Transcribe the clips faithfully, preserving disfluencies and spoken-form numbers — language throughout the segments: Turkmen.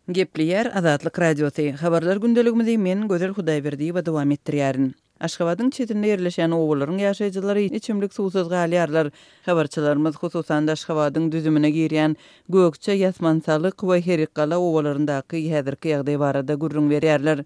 Gepleýär Azatlyk Radiosy. Habarlar gündeligimizi men, Gözel Hudaýberdiýewa dowam etdirýärin. Aşgabadyň çetinde ýerleşýän obalaryň ýaşaýjylary içimlik suwsuz galýarlar. Habarçylarymyz, hususan-da, Aşgabadyň düzümine girýän Gökje, Ýasmansalyk we Herrikgala obalaryndaky häzirki ýagdaý barada gürrüň berýärler.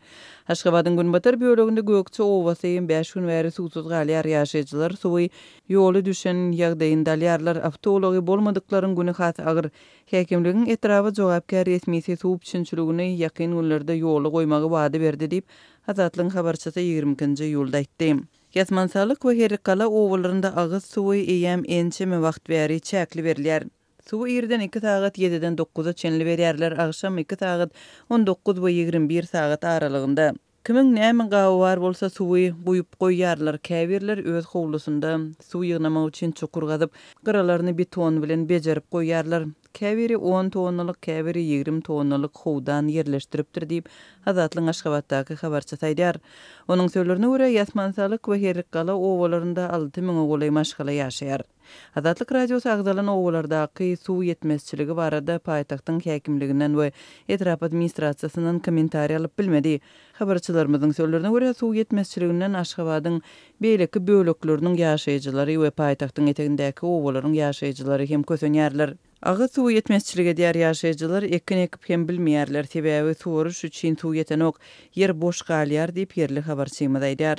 Aşgabadyň günbatar böleginde Gökje obasy bäş gün bäri suwsuz galýar. Ýaşaýjylar suwy ýoly düşen ýagdaýynda alýarlar. Awtoulagy bolmadyklaryň güni has agyr. Häkimligiň etraba jogapkär resmisi suw üpjünçiligini ýakyn günlerde ýola goýmagy wada berdi diýip, Azatlygyň habarçysy ýigrimi ikinji iýulda aýtdy. Ýasmansalyk we Herrikgala obalarynda agyz suwy eýýäm ençeme wagt bäri çäkli berilýär. Suwy irden iki sagat ýediden dokuza çenli berýärler, agşam iki sagat on dokuz we ýigrimi bir sagat aralygynda. Kimiň näme gaby bar bolsa suwy guýup goýýarlar, käbirler öz howlusynda suw ýygnamak üçin çukur gazyp, gyralaryny beton bilen bejerip goýýarlar. Käbiri on tonnalyk, käbiri ýigrimi tonnalyk howdan ýerleşdiripdir diýip, Azatlygyň Aşgabatdaky habarçysy aýdýar. Onuň sözlerine görä, Ýasmansalyk we Herrikgala obalarynda alty müňe golaý maşgala ýaşaýar. Azatlyk Radiosy agzalan obalardaky suw ýetmezçiligi barada paýtagtyň häkimliginden we etrap administrasiýasyndan kommentariý alyp bilmedi. Habarçylarymyzyň sözlerine görä, suw ýetmezçiliginden Aşgabadyň beýleki bölekleriniň ýaşaýjylary we paýtagtyň etegindäki obalaryň ýaşaýjylary hem kösenýärler. Agyz suwy ýetmezçilik edýär, ýaşaýjylar ekin ekip hem bilmeýärler, sebäbi suwaryş üçin suw ýetenok, ýer boş galýar diýip, ýerli habarçymyz aýdýar.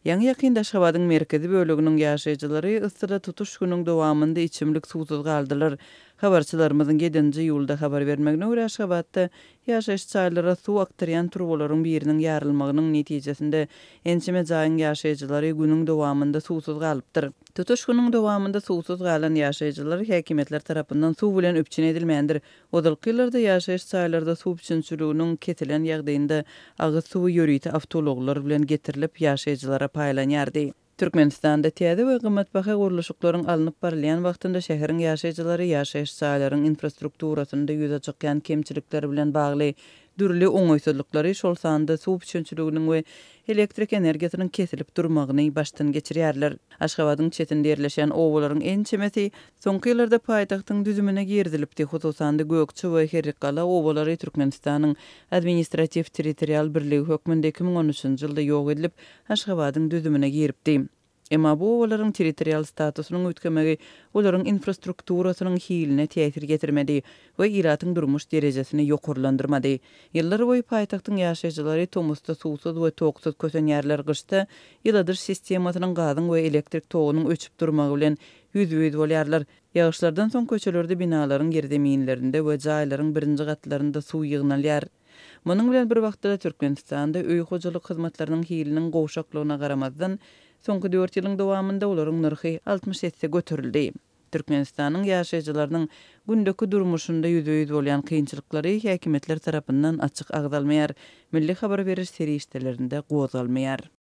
Ýaňy-ýakynda Aşgabadyň merkezi böleginiň ýaşaýjylary yssyda tutuş günüň dowamynda içimlik suwsuz galdylar. Habarçylarymyzyň ýedinji iýulda habar bermegine görä, Aşgabatda ýaşaýyş jaýlara suw akdyrýan turbalaryň biriniň ýarylmagynyň netijesinde ençeme jaýyň ýaşaýjylary günüň dowamynda suwsuz galypdyr. Tutuş günüň dowamynda suwsuz galan ýaşaýjylar häkimiýetler tarapyndan suw bilen üpjün edilmändir. Ozalky ýyllarda ýaşaýyş jaýlarda suw üpjünçiliginiň kesilen ýagdaýynda agyz suwy ýörite awtoulaglar bilen getirilip, ýaşaýjylara paýlanýardy. Türkmenistanda täze we gymmatbaha gurluşyklaryň alnyp barylýan wagtynda şäheriň ýaşaýjylary ýaşaýyş jaýlaryň infrastrukturasynda ýüze çykýan kemçilikler bilen bagly dürli oňaýsyzlyklary, şol sanda suw üpjünçiliginiň we elektrik energiýasynyň kesilip durmagyny başdan geçirýärler. Aşgabadyň çetinde ýerleşen obalaryň ençemesi soňky ýyllarda paýtagtyň düzümine girizilipdi. Hususan-da Gökje we Herrikgala obalary Türkmenistanyň administratiw-territorial birligi hökmünde iki müň on üçünji ýylda ýok edilip, Aşgabadyň düzümine giripdi. Emma bu obalaryň territorial statusynyň üýtgemegi olaryň infrastrukturasynyň hiline täsir getirmedi we ilatyň durmuş derejesini ýokarlandyrmady. Ýyllar boýy paýtagtyň ýaşaýjylary tomusda suwsuz we toksuz kösenýärler, gyşda ýyladyş sistemasynyň gazyň we elektrik togunyň öçüp durmagy bilen ýüzbe-ýüz bolýarlar. Ýagyşlardan soň köçelerde binalaryň ýerzeminlerinde we jaýlaryň birinji gatlarynda suw ýygnalýar. Munuň bilen bir wagtda Türkmenistanda öý hojalyk hyzmatlarynyň hiliniň gowşaklygyna garamazdan, soňky dört ýylyň dowamynda olaryň nyrhy altmyş esse göterildi. Türkmenistanyň ýaşaýjylarynyň gündeki durmuşynda ýüzbe-ýüz bolýan kynçylyklary häkimiýetler tarapyndan açyk agzalmaýar, milli habar beriş serişdelerinde gozgalmaýar.